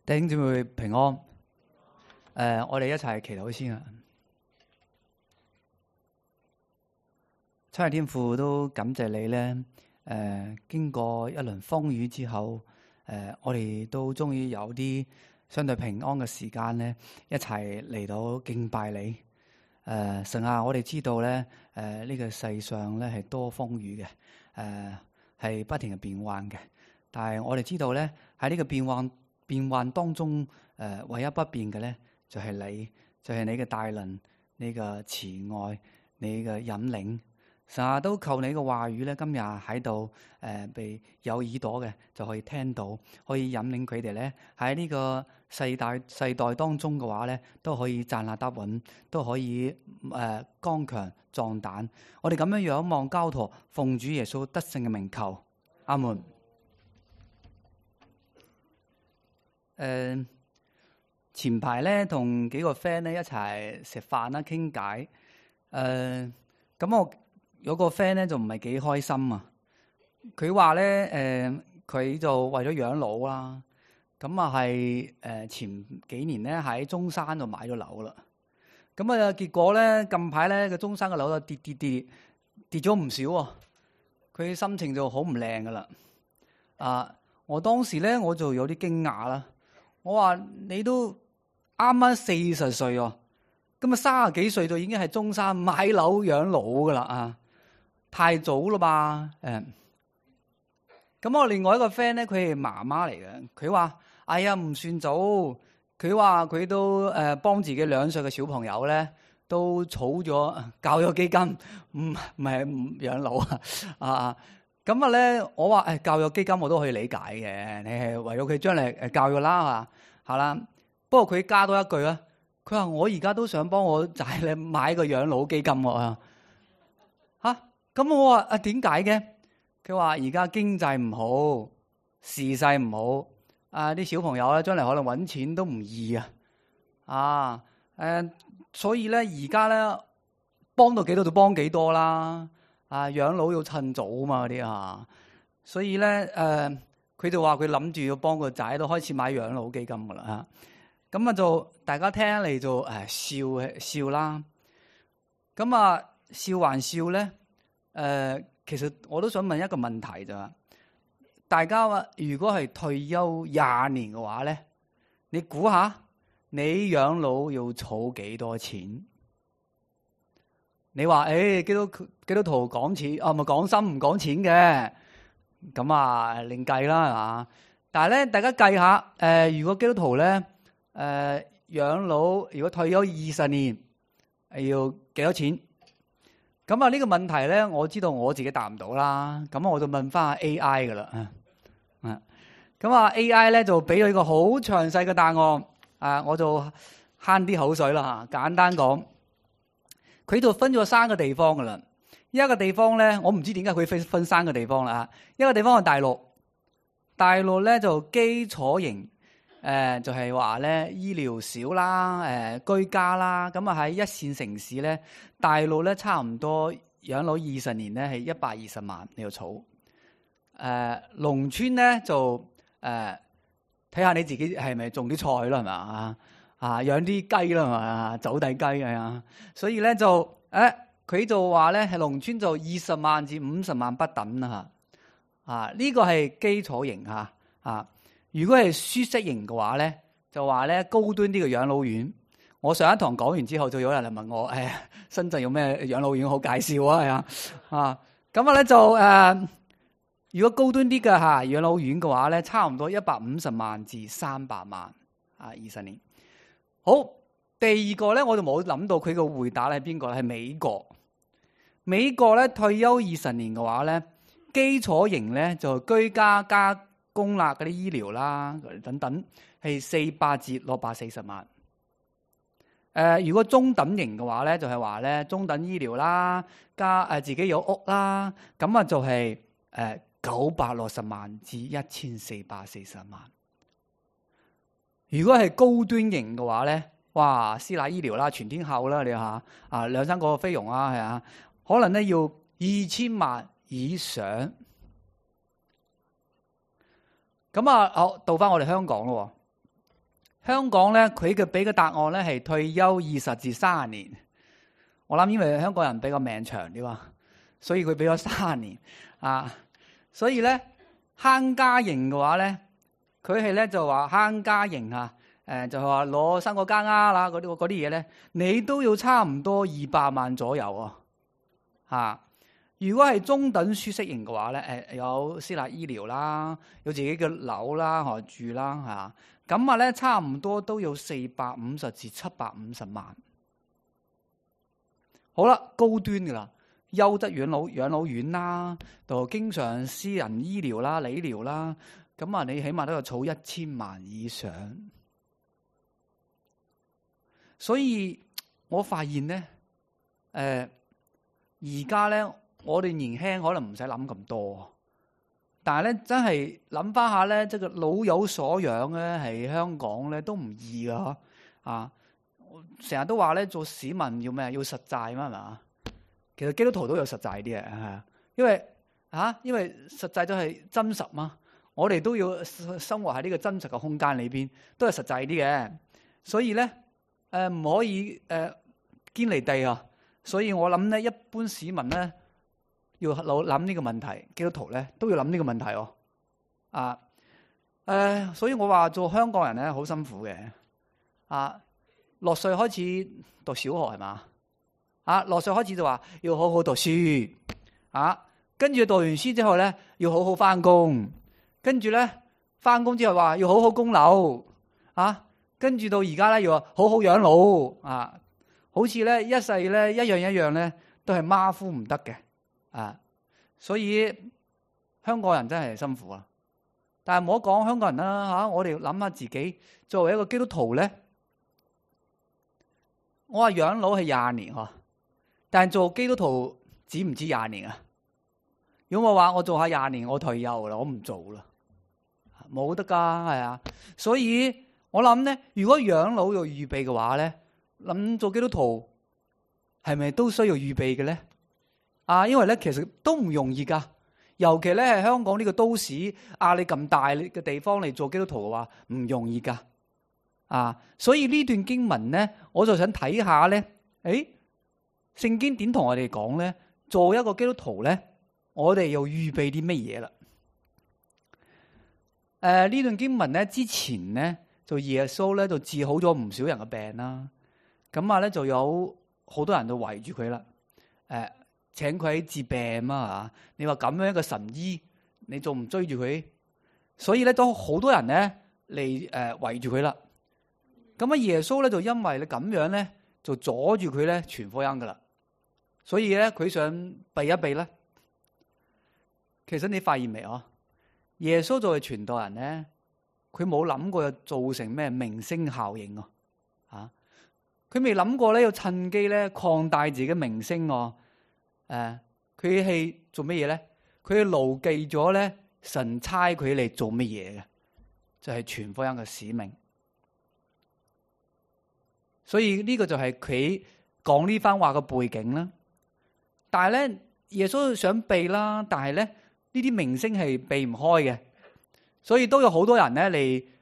弟兄姊妹平安。我哋一齊祈禱先啊！親愛天父，都感謝你咧。經過一輪風雨之後，我哋都終於有啲相對平安嘅時間咧，一齊嚟到敬拜你。神啊，我哋知道咧，呢個世上咧係多風雨嘅，係不停嘅變幻嘅。但係我哋知道咧，喺呢個變幻當中，唯一不變嘅咧就係你，就係你嘅大能，你嘅慈愛，你嘅引領。神啊，都求你嘅話語咧，今日喺度被有耳朵嘅就可以聽到，可以引領佢哋咧喺呢個世代當中嘅話咧，都可以站立得穩，都可以剛強壯膽。我哋咁樣仰望交託，奉主耶穌得勝嘅名求，阿門。前排咧同幾個 friend 咧一齊食飯啦，傾偈。咁我有個 friend 咧就唔係幾開心啊。佢話咧佢就為咗養老啦，咁啊係前幾年咧喺中山度買咗樓啦。咁啊結果咧近排咧個中山嘅樓就跌咗唔少喎。佢心情就好唔靚噶啦。我當時咧我就有啲驚訝啦。我話你都啱啱40歲喎，咁啊30幾歲就已經係中山買樓養老噶啦，太早啦吧？咁我另外一個 friend 咧，佢係媽媽嚟嘅，佢話：哎呀唔算早，佢話佢都幫自己2歲嘅小朋友咧，都儲咗教育基金，唔係養老啊。咁啊咧，我話教育基金我都可以理解嘅，你係為咗佢將來教育啦，係啦。不過佢加多一句啊，佢話我而家都想幫我仔咧買個養老基金喎。咁我話點解嘅？佢話而家經濟唔好，時勢唔好，啲小朋友咧將來可能搵錢都唔易所以咧而家咧幫到幾多就幫幾多啦。養老要趁早嘛啲所以咧佢就話佢諗住要幫個仔都開始買養老基金噶啦。咁啊就大家聽嚟就笑啦。咁啊笑還笑咧，其實我都想問一個問題就係，大家話如果係退休20年嘅話咧，你估下你養老要儲幾多錢？你話基督徒講錢，咪講心唔講錢嘅，咁另計啦，係嘛？但係咧，大家計下，如果基督徒咧，養老如果退休20年，要幾多錢？咁呢個問題咧，我知道我自己答唔到啦。咁我就問翻下 AI 噶啦。咁AI 咧就俾咗一個好詳細嘅答案。我就慳啲口水啦。簡單講。佢度分咗3個地方噶啦，一個地方咧，我唔知點解佢分3個地方啦。一個地方係大陸，大陸咧就基礎型，就係話咧醫療少啦，居家啦，咁喺一線城市咧，大陸咧差唔多養老20年咧係120萬你要儲，農村咧就睇下你自己係咪種啲菜啦，係嘛？養啲雞啦，係嘛？走地雞所以咧就佢就話咧係農村就20萬至50萬不等啦。呢個係基礎型如果係舒適型嘅話咧，就話咧高端啲嘅養老院。我上一堂講完之後，就有人嚟問我，深圳有咩養老院好介紹咁咧就如果高端啲嘅養老院嘅話咧，差唔多150萬至300萬20年。好，第二個咧，我就冇諗到佢個回答係邊個咧？係美國。美國咧退休20年嘅話咧，基礎型咧就居家加公立嗰啲醫療啦等等，係400至640萬。如果中等型嘅話咧，就係話咧中等醫療啦，加自己有屋啦，咁就係960萬至1440萬。如果係高端型嘅話咧，哇，私立醫療啦，全天候啦，你下2-3個菲傭可能咧要2000萬以上。咁好，到翻我哋香港咯。香港咧，佢嘅俾嘅答案咧係退休20至30年。我諗因為香港人比較命長啲嘛，所以佢俾咗30年啊。所以咧坑家營嘅話咧，佢係咧就話坑家營啊，就係話攞3個家啦，嗰啲嘢咧，你都要差唔多200萬左右啊。如果係中等舒適型嘅話咧，有私立醫療啦，有自己嘅樓啦，住啦嚇，咁咧差唔多都要450至750萬。好啦，高端嘅啦，優質養老院啦，就經常私人醫療啦、理療啦，咁你起碼都要儲1000萬以上。所以我發現咧，而家咧。我哋年輕可能唔使諗咁多，但係咧真係諗翻下咧，即係老有所養咧，係香港咧都唔易噶啊！成日都話咧做市民要咩？要實際嘛，係嘛？其實基督徒都有實際啲嘅，因為實際都係真實嘛。我哋都要生活喺呢個真實嘅空間裏邊，都係實際啲嘅。所以咧，唔可以堅離地啊！所以我諗咧，一般市民咧。要諗呢個問題，基督徒咧都要諗呢個問題所以我話做香港人咧好辛苦嘅6歲開始讀小學係嘛？6歲開始就話要好好讀書跟住讀完書之後咧要好好翻工，跟住咧翻工之後話要好好供樓跟住到而家咧要好好養老好似咧一世咧一樣咧都係馬虎唔得嘅。所以香港人真係辛苦但係唔好講香港人啦我哋諗下自己作為一個基督徒咧，我話養老係20年但係做基督徒止唔止20年啊？如果我話我做下20年，我退休啦，我唔做啦，冇得噶係啊。所以我諗咧，如果養老要預備嘅話咧，諗做基督徒係咪都需要預備嘅咧？因為咧其實都唔容易噶，尤其咧係香港呢個都市壓力咁大嘅地方嚟做基督徒嘅話，唔容易噶。所以呢段經文咧，我就想睇下咧，聖經點同我哋講咧？做一個基督徒咧，我哋又預備啲乜嘢啦？呢段經文咧之前咧，就耶穌咧就治好咗唔少人嘅病啦。咁咧就有好多人都圍住佢啦。請佢治病你話咁樣一個神醫，你仲唔追住佢？所以咧都好多人咧嚟圍住佢啦。咁耶穌咧就因為你咁樣咧，就阻住佢咧傳福音噶啦。所以咧佢想避一避咧。其實你發現未耶穌作為傳道人咧，佢冇諗過造成咩明星效應佢未諗過咧要趁機咧擴大自己嘅名聲佢係做乜嘢咧？佢係牢記咗咧神差佢嚟做乜嘢嘅，就係傳福音嘅使命。所以呢個就係佢講呢番話嘅背景啦。但係咧耶穌想避啦，但係咧呢啲明星係避唔開嘅，所以都有好多人咧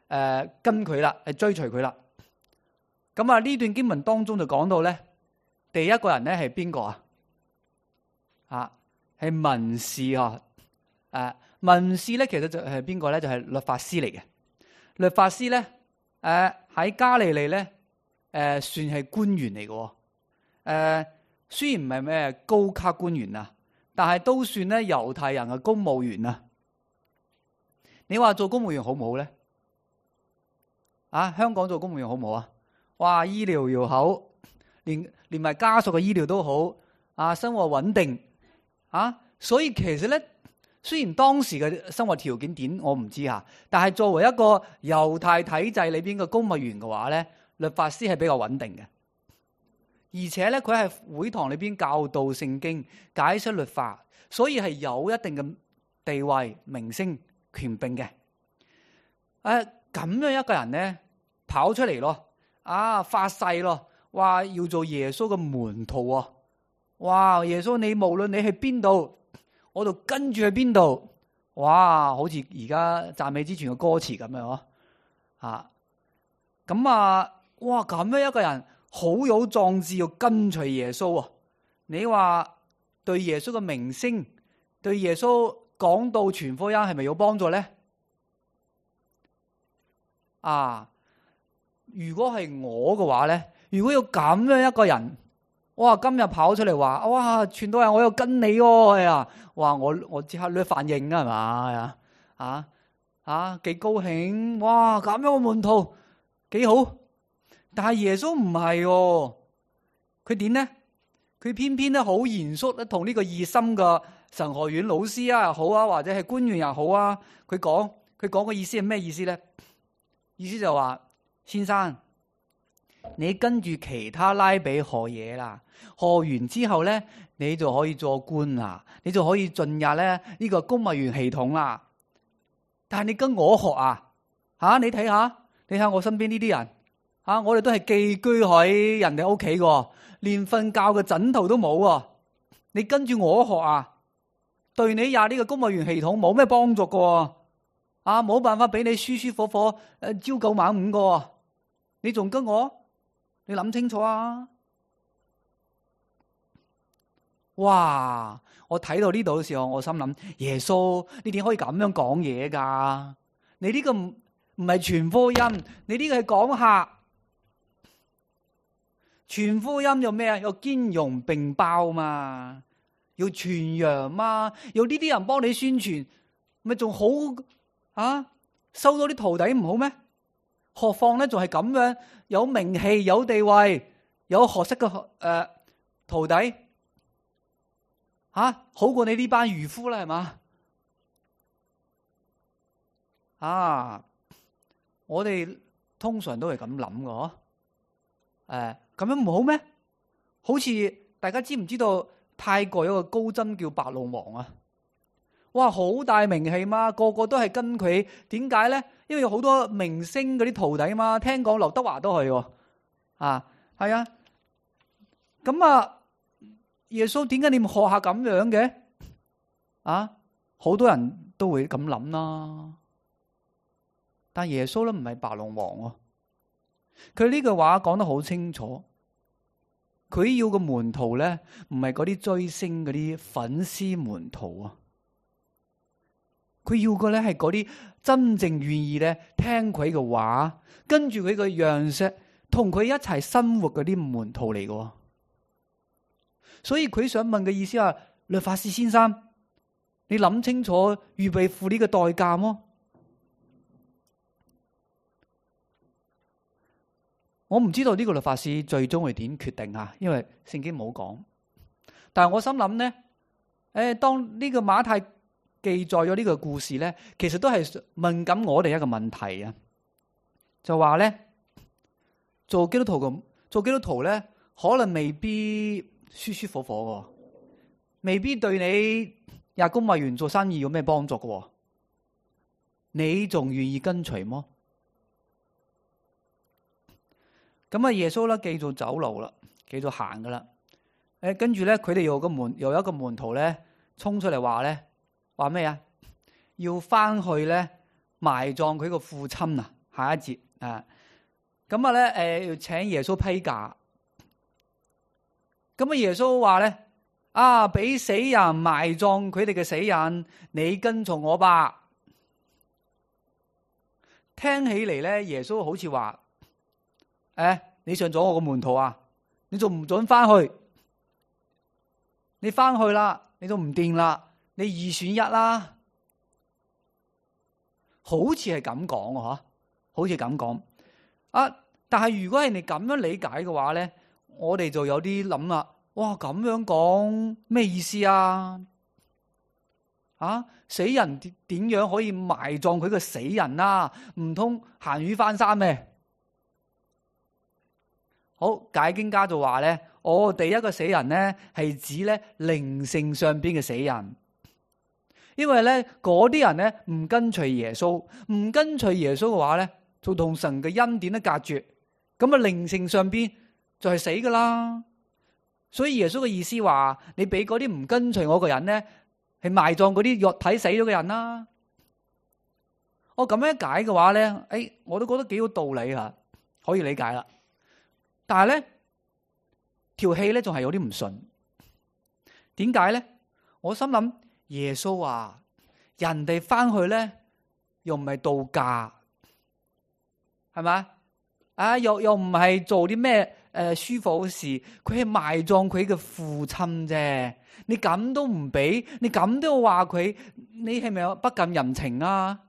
嚟跟佢啦，嚟追隨佢啦。咁呢段經文當中就講到咧，第一個人咧係邊個係文士文士咧其實就係邊個咧？就係律法師嚟嘅。律法師咧喺加利利咧算係官員嚟嘅。雖然唔係咩高級官員但係都算咧猶太人嘅公務員你話做公務員好唔好咧？香港做公務員好唔好哇，醫療又好，連埋家屬嘅醫療都好生活穩定所以其實咧，雖然當時嘅生活條件點我唔知但係作為一個猶太體制裏邊嘅公務員嘅話咧，律法師係比較穩定嘅，而且咧佢係會堂裏邊教導聖經、解釋律法，所以係有一定嘅地位、名聲、權柄嘅。咁樣一個人咧跑出嚟咯，發誓咯，話要做耶穌嘅門徒哇！耶穌你無論你去邊度，我就跟住去邊度。哇！好似而家讚美之泉嘅歌詞咁樣咁咁啊，哇！咁樣一個人好有壯志要跟隨耶穌啊！你話對耶穌嘅名聲，對耶穌講道傳福音係咪有幫助咧？如果係我嘅話咧，如果要咁樣一個人，哇！今日跑出嚟話，哇！傳道人我要跟你喎，係啊！哇！我即刻咧反應啊，係嘛？幾高興！哇！咁樣嘅門徒幾好，但係耶穌唔係喎，佢點咧？佢偏偏咧好嚴肅咧，同呢個熱心嘅神學院老師啊又好啊，或者係官員又好啊，佢講嘅意思係咩意思咧？意思就話，先生，你跟住其他拉比學嘢啦，學完之後咧，你就可以做官啦，你就可以進入咧呢個公務員系統啦。但係你跟我學你睇下我身邊呢啲人我哋都係寄居喺人哋屋企嘅，連瞓覺嘅枕頭都冇啊！你跟住我學對你呢個公務員系統冇咩幫助嘅，冇辦法俾你舒舒服服朝九晚五嘅，你仲跟我？你諗清楚啊！哇！我睇到呢度嘅時候，我心諗，耶穌，你點可以咁樣講嘢噶？你呢個唔係傳福音，你呢個係講客。傳福音有咩啊？有兼容並包嘛，要傳揚嘛，有呢啲人幫你宣傳，咪仲好收到啲徒弟唔好咩？何況咧，仲係咁樣有名氣、有地位、有學識嘅徒弟好過你呢班漁夫啦，係嘛？我哋通常都係咁諗嘅，咁樣唔好咩？好似大家知唔知道泰國有個高僧叫白龍王啊？哇，好大名氣嘛，個個都係跟佢。點解咧？因為有好多明星嗰啲徒弟嘛。聽講劉德華都係喎，係啊。咁耶穌點解你唔學下咁樣嘅？好多人都會咁諗啦。但耶穌咧唔係白龍王喎，佢呢句話講得好清楚。佢要個門徒咧，唔係嗰啲追星嗰啲粉絲門徒啊。佢要嘅咧係嗰啲真正願意咧聽佢嘅話，跟住佢嘅樣式，同佢一齊生活嗰啲門徒嚟嘅。所以佢想問嘅意思係，律法師先生，你諗清楚預備付呢個代價麼？我唔知道呢個律法師最終會點決定因為聖經冇講。但係我心諗咧，當呢個馬太記載咗呢個故事咧，其實都係問緊我哋一個問題啊，就話咧，做基督徒咧，可能未必舒舒服服嘅，未必對你入公務員做生意有咩幫助嘅，你仲願意跟隨麼？咁耶穌咧繼續走路啦，繼續行噶啦。跟住咧，佢哋有一個門徒咧，衝出嚟話咧，話咩啊？要翻去咧埋葬佢個父親啊！下一節咁咧要請耶穌批假。咁耶穌話咧，俾死人埋葬佢哋嘅死人，你跟從我吧。聽起嚟咧，耶穌好似話，你上咗我個門徒你仲唔准翻去？你翻去啦，你都唔掂啦，你二選一啦。好似係咁講好似咁講但係如果係你咁樣理解嘅話咧，我哋就有啲諗啦。哇，咁樣講咩意思死人點樣可以埋葬佢個死人唔通鹹魚翻生咩？好，解經家就話咧，第一個死人咧係指咧靈性上邊嘅死人，因為咧嗰啲人咧唔跟隨耶穌，唔跟隨耶穌嘅話咧，就同神嘅恩典都隔絕，咁靈性上邊就係死噶啦。所以耶穌嘅意思話，你俾嗰啲唔跟隨我嘅人咧，係埋葬嗰啲肉體死咗嘅人啦。我咁樣解嘅話咧，我都覺得幾有道理可以理解啦。但係咧條氣咧仲係有啲唔順。點解咧？我心諗耶穌話人哋翻去咧又唔係度假，係咪啊？又唔係做啲咩舒服嘅事，佢係埋葬佢嘅父親啫。你咁都唔俾，你咁都話佢，你係咪不近人情啊？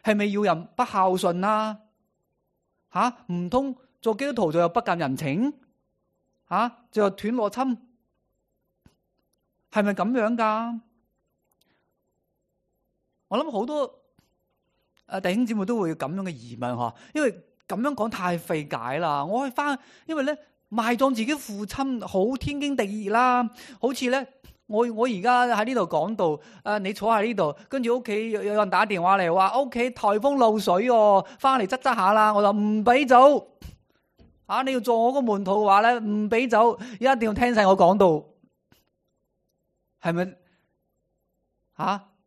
係咪要人不孝順啊？唔通做基督徒就有不近人情？就有斷邏輯？係咪咁樣噶？我諗好多弟兄姊妹都會有咁樣嘅疑問嗬，因為咁樣講太費解啦。我去翻，因為咧埋葬自己父親好天經地義啦。好似咧，我而家喺呢度講到，你坐喺呢度，跟住屋企有人打電話嚟話屋企台風漏水哦，翻嚟執下啦，我就唔俾走。你要做我個門徒嘅話咧，唔俾走，一定要聽晒我講到，係咪？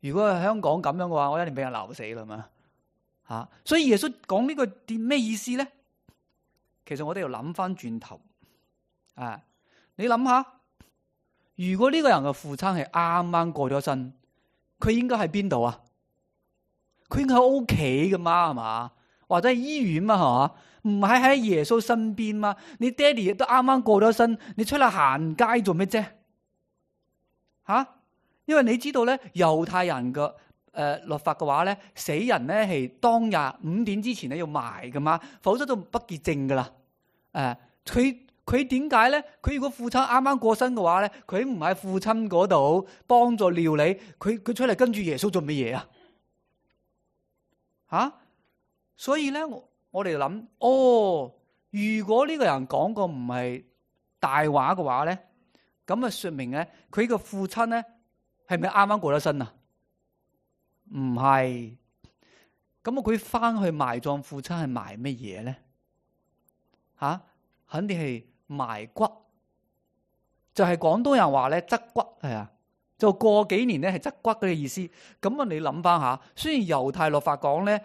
如果係香港咁樣嘅話，我一定俾人鬧死啦嘛。所以耶穌講呢個咩意思咧？其實我哋要諗翻轉頭，你諗下，如果呢個人嘅父親係啱啱過咗身，佢應該喺邊度啊？佢應該喺屋企噶嘛，係嘛？或者係醫院嘛，係嘛？唔係喺耶穌身邊嘛？你爹哋亦都啱啱過咗身，你出嚟行街做咩啫？因為你知道咧，猶太人嘅律法嘅話咧，死人咧係當日5點之前咧要埋噶嘛，否則都不潔淨噶啦。佢點解咧？佢如果父親啱啱過身嘅話咧，佢唔喺父親嗰度幫助料理，佢出嚟跟住耶穌做乜嘢啊？所以咧，我哋諗，如果呢個人講過唔係大話嘅話咧，咁啊說明咧，佢個父親咧係咪啱啱過咗身啊？唔係，咁佢翻去埋葬父親係埋乜嘢咧？肯定係埋骨，就係廣東人話咧執骨，係啊，就過幾年咧係執骨嘅意思。咁你諗翻下，雖然猶太律法講咧，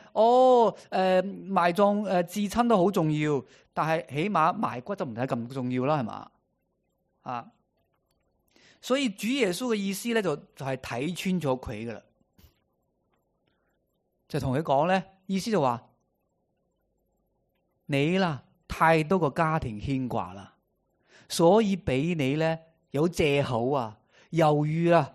埋葬至親都好重要，但係起碼埋骨就唔係咁重要啦，係嘛？所以主耶穌嘅意思咧就係睇穿咗佢噶啦，就同佢講咧，意思就話你啦太多個家庭牽掛啦，所以俾你咧有借口猶豫啦，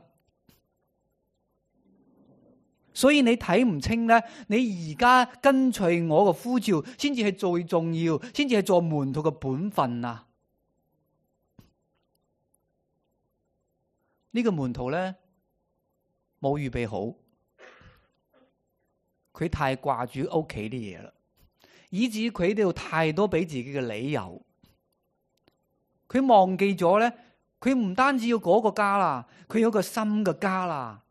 所以你睇唔清咧，你而家跟隨我嘅呼召，先至係最重要，先至係做門徒嘅本分啊！呢個門徒咧冇預備好，佢太掛住屋企啲嘢啦，以至佢哋有太多俾自己嘅理由，佢忘記咗咧，佢唔單止要嗰個家啦，佢有個新嘅家啦，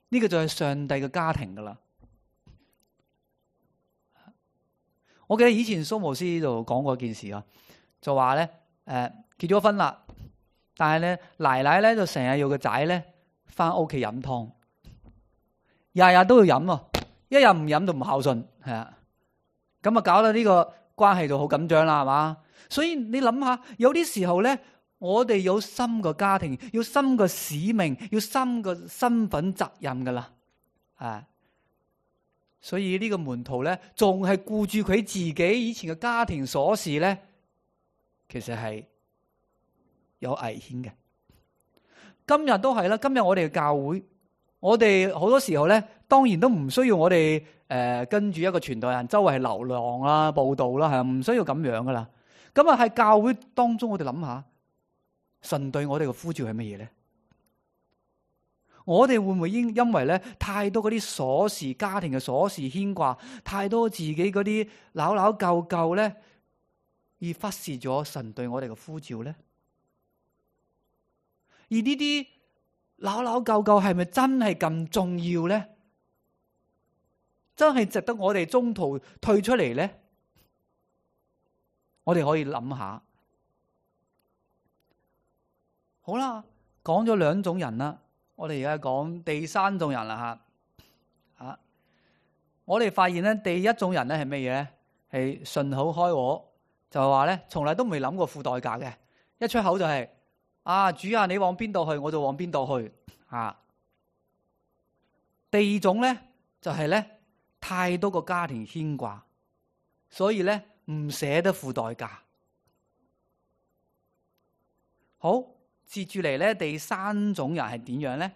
呢個就係上帝嘅家庭噶啦。我記得以前蘇牧師就講過一件事啊，就話咧，結咗婚啦。但係咧，奶奶咧就成日要個仔咧翻屋企飲湯，日日都要飲喎，一日唔飲就唔孝順，係啊，咁啊搞到呢個關係就好緊張啦，係嘛？所以你諗下，有啲時候咧，我哋有新嘅家庭，要新嘅使命，要新嘅身份責任噶啦，所以呢個門徒咧，仲係顧住佢自己以前嘅家庭瑣事咧，其實係有危險嘅。今日都係啦，今日我哋嘅教會，我哋好多時候咧，當然都唔需要我哋跟住一個傳道人周圍流浪啦、佈道啦，係唔需要咁樣噶啦。咁啊喺教會當中，我哋諗下，神對我哋嘅呼召係乜嘢咧？我哋會唔會因為咧太多嗰啲瑣事、家庭嘅瑣事牽掛，太多自己嗰啲扭扭舊舊咧，而忽視咗神對我哋嘅呼召咧？而呢啲扭扭舊舊係咪真係咁重要咧？真係值得我哋中途退出嚟咧？我哋可以諗下。好啦，講咗兩種人啦，我哋而家講第三種人啦吓。我哋發現咧，第一種人咧係咩嘢咧？係順口開河，就係話咧，從來都未諗過付代價嘅，一出口就係、主啊，你往邊度去，我就往邊度去啊。第二種咧就係咧，太多個家庭牽掛，所以咧唔捨得付代價。好，接住嚟咧，第三種人係點樣咧？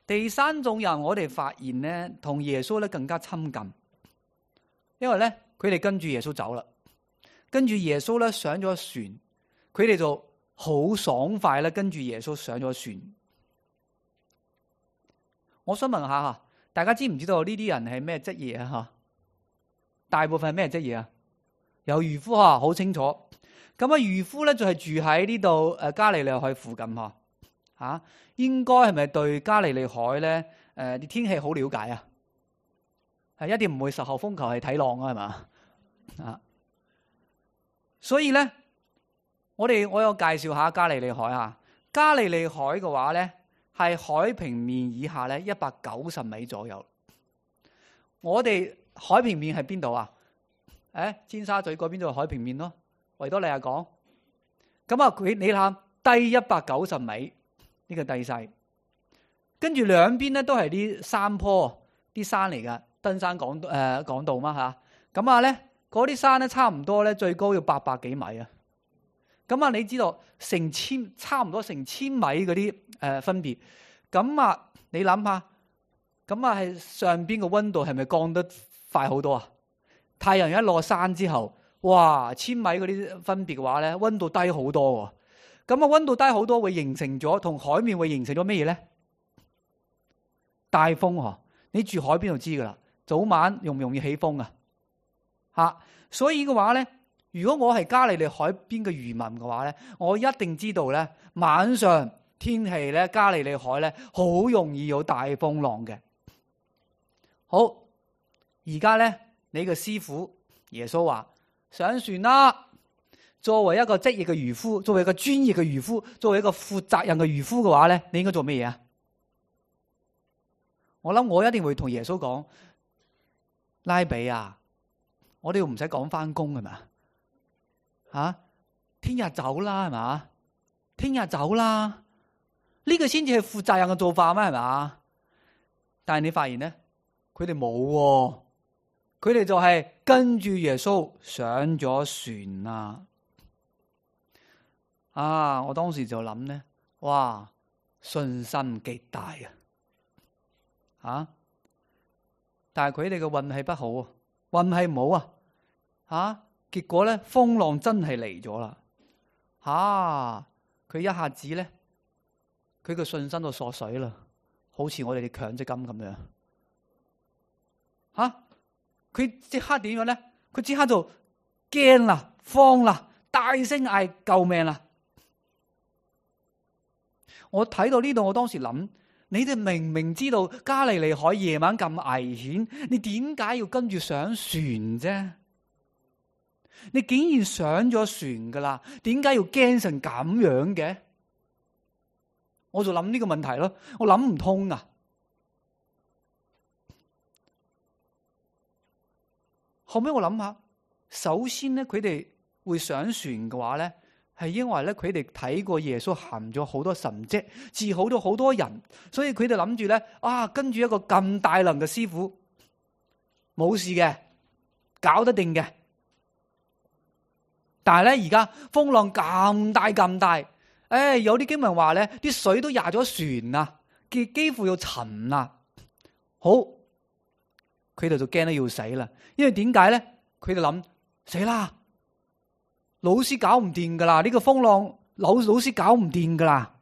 第三種人我哋發現咧，同耶穌咧更加親近，因為咧佢哋跟住耶穌走啦，跟住耶穌咧上咗船，佢哋就好爽快咧跟住耶穌上咗船。我想問下大家知唔知道呢啲人係咩職業啊？大部分係咩職業啊？有漁夫好清楚。咁漁夫咧就係住喺呢度加利利海附近應該係咪對加利利海咧啲天氣好了解啊？係一定唔會10號風球係睇浪啊，係嘛？所以咧，我有介紹下加利利海加利利海嘅話咧，係海平面以下咧190米左右。我哋海平面係邊度啊？尖沙咀嗰邊就係海平面咯。維多利亞港，咁你諗低190米呢個地勢，跟住兩邊咧都係啲山坡，啲山嚟噶，登山講道嘛吓。咁咧嗰啲山咧差唔多咧最高要800幾米啊。咁你知道差唔多成千米嗰啲分別。咁你諗下，咁係上邊嘅溫度係咪降得快好多啊？太陽一落山之後，哇，1000米嗰啲分別嘅話咧，溫度低好多。咁溫度低好多會形成咗同海面會形成咗咩嘢咧？大風你住海邊就知噶啦，早晚容唔容易起風啊？所以嘅話咧，如果我係加利利海邊嘅漁民嘅話咧，我一定知道咧，晚上天氣咧加利利海咧好容易有大風浪嘅。好，而家咧你嘅師傅耶穌話上船啦。作為一個職業嘅漁夫，作為一個專業嘅漁夫，作為一個負責任嘅漁夫嘅話咧，你應該做咩嘢啊？我諗我一定會同耶穌講，拉比啊，我哋唔使講翻工係嘛？聽日走啦係嘛？聽日走啦，呢個先至係負責任嘅做法咩係嘛？但係你發現咧，佢哋冇，佢哋就係跟住耶穌上咗船啦。我當時就諗咧，哇，信心極大但係佢哋嘅運氣不好運氣唔好結果咧風浪真係嚟咗啦，佢一下子咧，佢嘅信心就縮水啦，好似我哋嘅強積金咁樣，佢即刻點樣咧？佢即刻就驚啦、慌啦、大聲嗌救命啦！我睇到呢度，我當時諗，你哋明明知道加利利海夜晚咁危險，你點解要跟住上船啫？你竟然上咗船噶啦，點解要驚成咁樣嘅？我就諗呢個問題咯，我諗唔通啊！後尾我諗下，首先咧，佢哋會上船嘅話咧，係因為咧佢哋睇過耶穌行咗好多神蹟，治好咗好多人，所以佢哋諗住咧，跟住一個咁大能嘅師傅，冇事嘅，搞得定嘅。但係咧而家風浪咁大咁大，有啲經文話咧，啲水都壓咗船啊，幾乎要沉啦。好，佢哋就驚得要死啦，因為點解咧？佢哋諗死啦。老師搞唔掂噶啦，呢個風浪老師搞唔掂噶啦，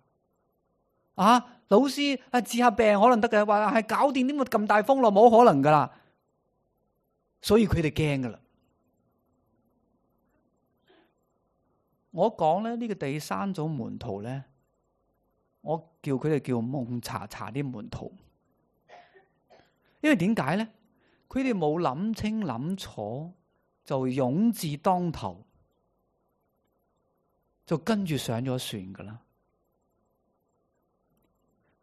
老師治下病可能得嘅，話係搞掂呢個咁大風浪冇可能噶啦，所以佢哋驚噶啦。我講咧呢個第三種門徒咧，我叫佢哋叫蒙查查啲門徒，因為點解咧？佢哋冇諗清諗楚就勇字當頭。就跟住上咗船噶啦，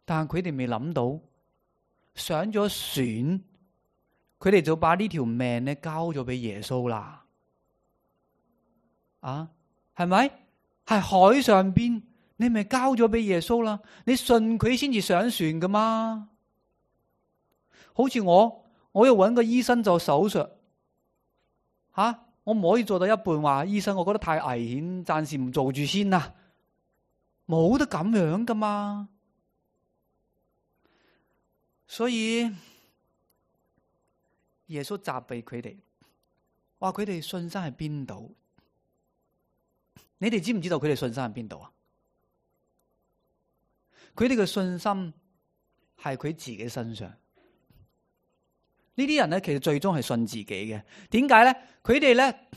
但係佢哋未諗到上咗船，佢哋就把呢條命咧交咗俾耶穌啦。啊，係咪？係海上邊，你咪交咗俾耶穌啦。你信佢先至上船噶嘛。好似我要搵個醫生做手術，我唔可以做到一半話醫生，我覺得太危險，暫時唔做住先啦。冇得咁樣噶嘛。所以耶穌責備佢哋，話佢哋信心喺邊度？你哋知唔知道佢哋信心喺邊度啊？佢哋嘅信心係佢自己身上。呢啲人咧，其實最終係信自己嘅。點解咧？佢哋咧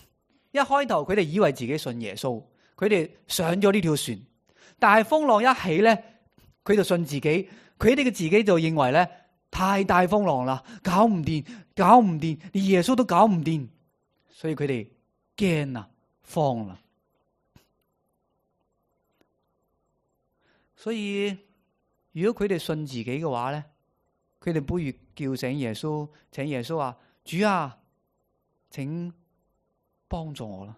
一開頭佢哋以為自己信耶穌，佢哋上咗呢條船，但係風浪一起咧，佢就信自己。佢哋嘅自己就認為咧，太大風浪啦，搞唔掂，連耶穌都搞唔掂，所以佢哋驚啦，慌啦。所以如果佢哋信自己嘅話咧，佢哋不如叫醒耶穌，請耶穌話：主啊，請幫助我啦。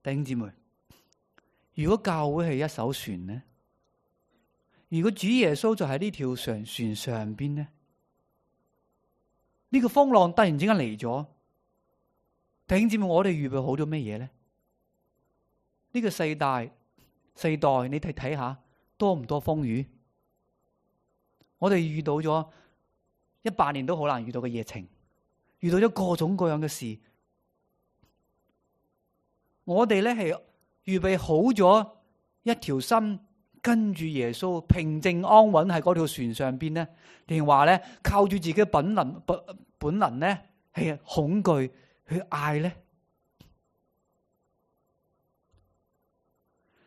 弟兄姊妹，如果教會係一艘船呢？如果主耶穌就喺呢條船上邊呢？呢個風浪突然之間嚟咗，弟兄姊妹，我哋預備好咗咩嘢呢？呢個世代，你睇下多唔多風雨？我哋遇到咗100年都好難遇到嘅疫情，遇到咗各種各樣嘅事。我哋咧係預備好咗一條心，跟住耶穌平靜安穩喺嗰條船上邊呢？定話咧靠住自己嘅本能咧係恐懼去嗌咧？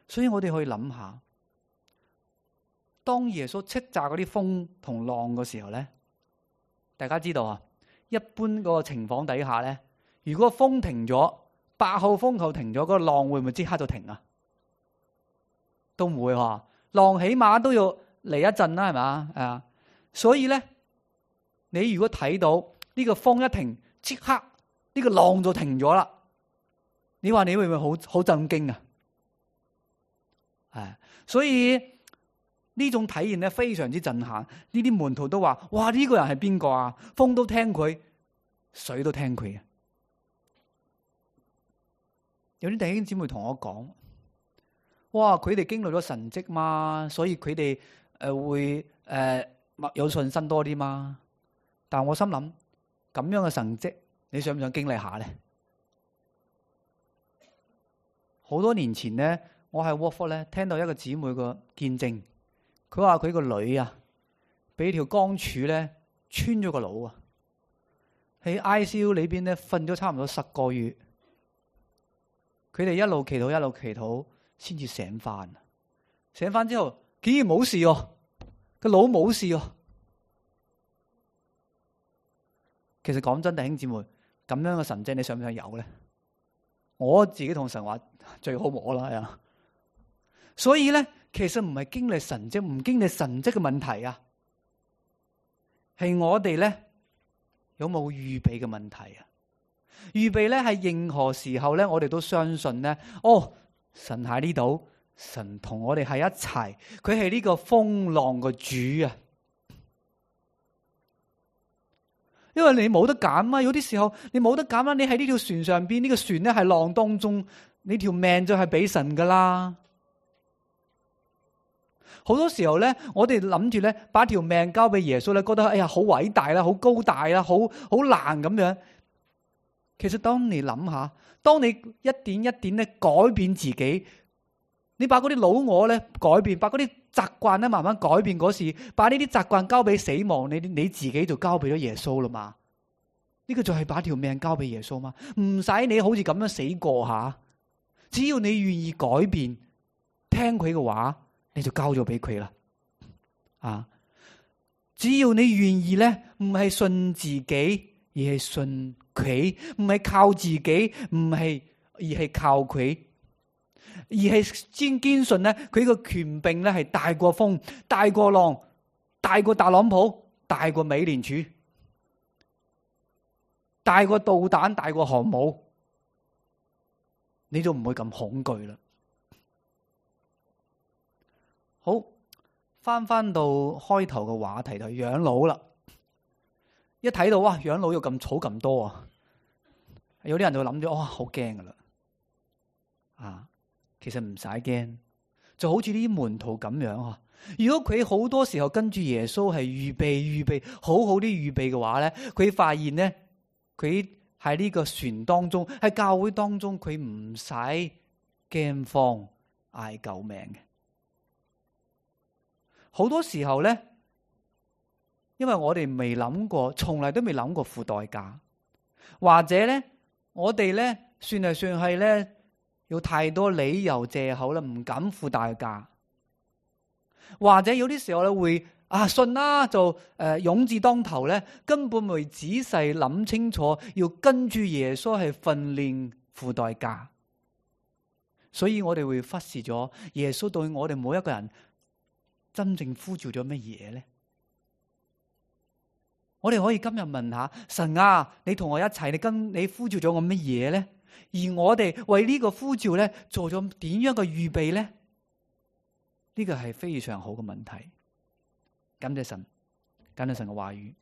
所以我哋可以諗下，當耶穌斥責嗰啲風同浪嘅時候咧，大家知道啊，一般嗰個情況底下咧，如果風停咗，8號風球停咗，嗰個浪會唔會即刻就停啊？都唔會喎，浪起碼都要嚟一陣啦，係嘛？所以咧，你如果睇到呢個風一停，即刻呢個浪就停咗啦，你話你會唔會好震驚啊？所以呢種體驗咧非常之震撼。呢啲門徒都話：哇，呢個人係邊個啊？風都聽佢，水都聽佢。有啲弟兄姊妹同我講：哇，佢哋經歷咗神蹟嘛，所以佢哋會有信心多啲嘛。但我心諗，咁樣嘅神蹟，你想唔想經歷下咧？好多年前咧，我喺 Watford 咧聽到一個姊妹個見證，佢話佢個女啊，俾條鋼柱咧穿咗個腦啊，喺 ICU 裏邊咧瞓咗差唔多10個月，佢哋一路祈禱先至醒翻。醒翻之後竟然冇事哦，個腦冇事哦。其實講真，弟兄姊妹，咁樣嘅神蹟你想唔想有咧？我自己同神話最好冇啦，係啊。所以咧，其實唔係經歷神蹟，唔經歷神蹟嘅問題啊，係我哋咧有冇預備嘅問題啊？預備咧係任何時候咧，我哋都相信咧，神喺呢度，神同我哋喺一齊，佢係呢個風浪嘅主啊。因為你冇得揀啊，有啲時候你冇得揀啦，你喺呢條船上邊，呢個船咧係浪當中，你條命就係俾神噶啦。好多時候咧，我哋諗住咧，把條命交俾耶穌咧，覺得哎呀好偉大啦，好高大啦，好難咁樣。其實當你諗下，當你一點一點咧改變自己，你把嗰啲老我咧改變，把嗰啲習慣咧慢慢改變嗰時，把呢啲習慣交俾死亡，你自己就交俾咗耶穌啦嘛。呢個就係把條命交俾耶穌嘛，唔使你好似咁樣死過吓，只要你願意改變，聽佢嘅話，你就交咗俾佢啦。只要你願意咧，唔係信自己，而係信佢，唔係靠自己，而係靠佢，而係堅信咧，佢個權柄咧係大過風、大過浪、大大過特朗普，大過美聯儲，大過導彈，大過航母，你就唔會咁恐懼啦。好，翻到開頭嘅話題就係養老啦。一睇到哇，養老要咁儲咁多啊，有啲人就諗咗哇，好驚噶啦。其實唔使驚，就好似呢啲門徒咁樣啊。如果佢好多時候跟住耶穌係預備好啲預備嘅話咧，佢發現咧，佢喺呢個船當中，喺教會當中，佢唔使驚慌嗌救命嘅。好多時候咧，因為我哋未諗過，從來都未諗過付代價，或者咧，我哋咧算係咧，有太多理由借口啦，唔敢付代價。或者有啲時候咧會信啦，就勇字當頭咧，根本未仔細諗清楚，要跟住耶穌係訓練付代價。所以我哋會忽視咗耶穌對我哋每一個人真正呼召咗乜嘢咧？我哋可以今日問下神啊，你同我一齊，你呼召咗我乜嘢咧？而我哋為呢個呼召咧做咗點樣嘅預備咧？呢個係非常好嘅問題。感謝神，感謝神嘅話語。